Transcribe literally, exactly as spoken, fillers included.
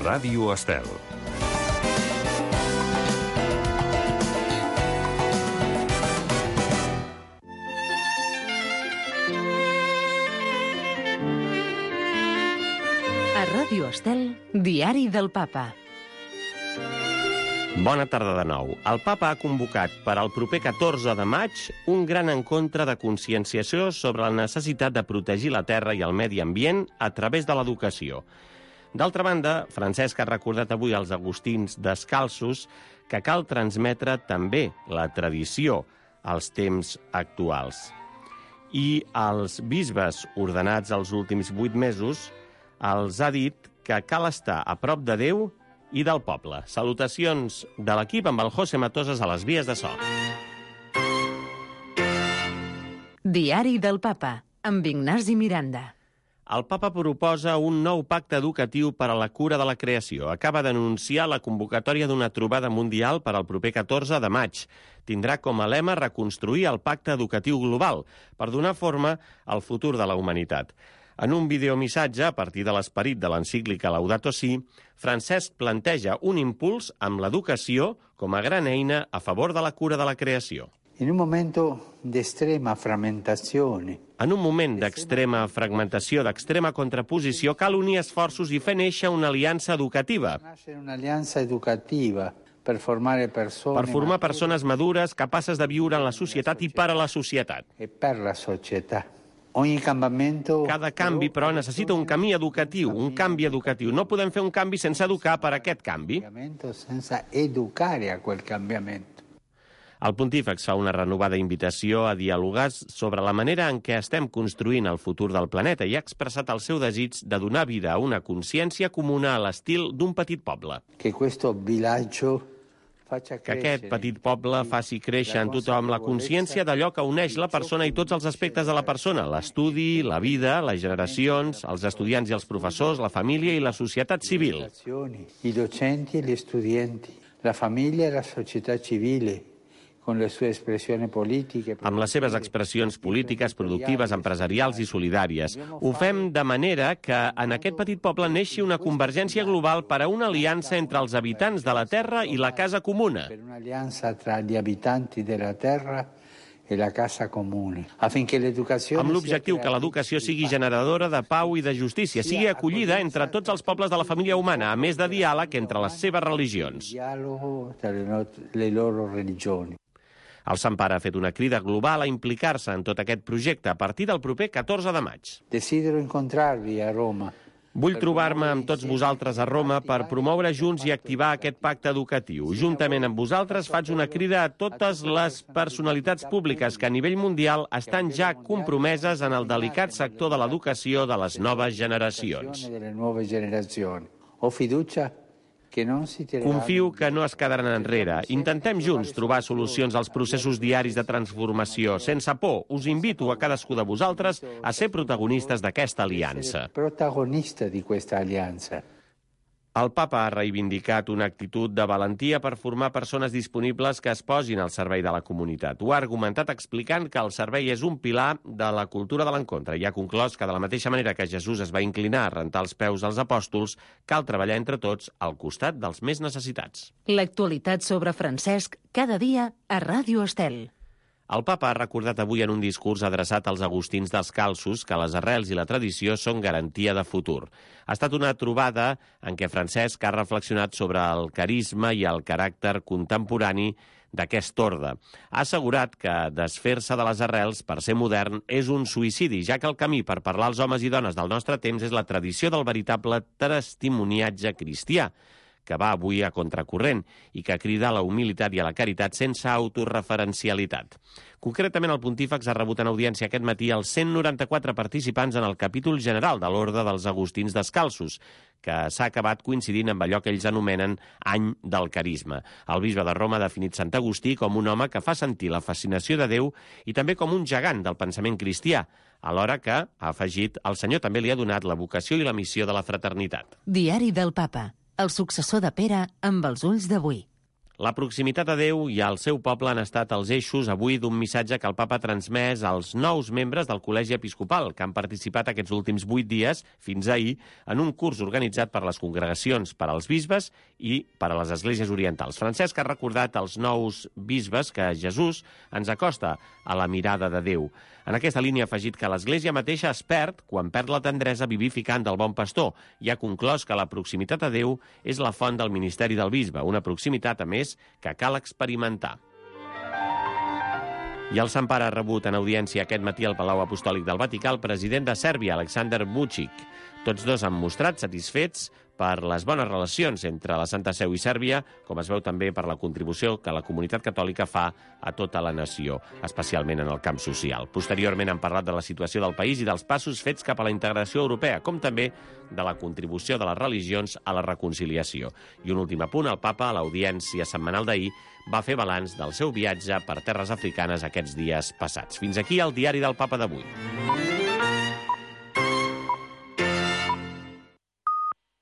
Ràdio Estel. A Ràdio Estel, Diari del Papa. Bona tarda de nou. El Papa ha convocat per al proper catorze de maig un gran encontre de conscienciació sobre la necessitat de protegir la terra i el medi ambient a través de l'educació. D'altra banda, Francesc ha recordat avui als agustins descalços que cal transmetre també la tradició als temps actuals. I als bisbes ordenats els últims vuit mesos els ha dit que cal estar a prop de Déu i del poble. Salutacions de l'equip amb el José Matosas a les vies de so. Diari del Papa, amb Ignasi Miranda. El Papa proposa un nou pacte educatiu per a la cura de la creació. Acaba d'anunciar la convocatòria d'una trobada mundial per al proper catorze de maig. Tindrà com a lema reconstruir el pacte educatiu global per donar forma al futur de la humanitat. En un videomissatge, a partir de l'esperit de l'encíclica Laudato Si, Francesc planteja un impuls amb l'educació com a gran eina a favor de la cura de la creació. En un momento d'extrema fragmentazione. En un moment d'extrema fragmentació, d'extrema contraposició, cal unir esforços i fer néixer una aliança educativa. Una aliança educativa per formar persones, per formar persones madures, capaces de viure en la societat i per a la societat. I per la societat. Cada canvi, però, necessita un camí educatiu, un canvi educatiu. No podem fer un canvi sense educar per aquest canvi. Sense educare a quel canviamento. El pontífex fa una renovada invitació a dialogar sobre la manera en què estem construint el futur del planeta i ha expressat el seu desig de donar vida a una consciència comuna a l'estil d'un petit poble. Que questo villaggio que aquest petit poble faci créixer en tothom la consciència d'allò que uneix la persona i tots els aspectes de la persona, l'estudi, la vida, les generacions, els estudiants i els professors, la família i la societat civil. I docenti e gli studenti, la famiglia e la società civile, con le sue espressioni politiche. Amb les seves expressions polítiques, productives, empresarials i solidàries. Ho fem de manera que en aquest petit poble neixi una convergència global per a una aliança entre els habitants de la terra i la casa comuna. Per una alianza tra gli abitanti della terra e la casa comune. Affinché l'educazione amb l'objectiu que l'educació sigui generadora de pau i de justícia, sigui acollida entre tots els pobles de la família humana, a més de diàleg entre les seves religions. Diàlogo tra le loro religioni. El Sant Pare ha fet una crida global a implicar-se en tot aquest projecte a partir del proper catorze de maig. Desidero incontrarvi a Roma. Vull trobar-me amb tots vosaltres a Roma per promoure junts i activar aquest pacte educatiu. Juntament amb vosaltres faig una crida a totes les personalitats públiques que a nivell mundial estan ja compromeses en el delicat sector de l'educació de les noves generacions. Ho fiducia Confio que no es quedaran enrere. Intentem junts trobar solucions als processos diaris de transformació. Sense por, us invito a cadascú de vosaltres a ser protagonistes d'aquesta aliança. Protagonista di questa alianza. El Papa ha reivindicat una actitud de valentia per formar persones disponibles que es posin al servei de la comunitat. Ho ha argumentat explicant que el servei és un pilar de la cultura de l'encontre i ha conclòs que de la mateixa manera que Jesús es va inclinar a rentar els peus als apòstols, cal treballar entre tots al costat dels més necessitats. L'actualitat sobre Francesc cada dia a Ràdio Estel. El Papa ha recordat avui en un discurs adreçat als agustins descalços que les arrels i la tradició són garantia de futur. Ha estat una trobada en què Francesc ha reflexionat sobre el carisma i el caràcter contemporani d'aquest orde. Ha assegurat que desfer-se de les arrels per ser modern és un suïcidi, ja que el camí per parlar als homes i dones del nostre temps és la tradició del veritable testimoniatge cristià, que va avui a contracorrent i que crida a la humilitat i a la caritat sense autorreferencialitat. Concretament, el pontífex ha rebut en audiència aquest matí els cent noranta-quatre participants en el capítol general de l'Orde dels Agustins Descalços, que s'ha acabat coincidint amb allò que ells anomenen Any del Carisma. El bisbe de Roma ha definit Sant Agustí com un home que fa sentir la fascinació de Déu i també com un gegant del pensament cristià, alhora que, ha afegit, el Senyor també li ha donat la vocació i la missió de la fraternitat. Diari del Papa. El successor de Pere amb els ulls d'avui. La proximitat a Déu i al seu poble han estat els eixos avui d'un missatge que el papa ha transmès als nous membres del Col·legi Episcopal, que han participat aquests últims vuit dies, fins ahir, en un curs organitzat per les congregacions per als bisbes i per a les esglésies orientals. Francesc ha recordat als nous bisbes que Jesús ens acosta a la mirada de Déu. En aquesta línia ha afegit que l'Església mateixa es perd quan perd la tendresa vivificant del bon pastor i ha conclòs que la proximitat a Déu és la font del ministeri del bisbe, una proximitat, a més, que cal experimentar. I el Sant Pare ha rebut en audiència aquest matí al Palau Apostòlic del Vaticà el president de Sèrbia, Aleksandar Vučić. Tots dos han mostrat satisfets per les bones relacions entre la Santa Seu i Sèrbia, com es veu també per la contribució que la comunitat catòlica fa a tota la nació, especialment en el camp social. Posteriorment han parlat de la situació del país i dels passos fets cap a la integració europea, com també de la contribució de les religions a la reconciliació. I un últim apunt, el papa, a l'audiència setmanal d'ahir, va fer balanç del seu viatge per terres africanes aquests dies passats. Fins aquí el diari del papa d'avui.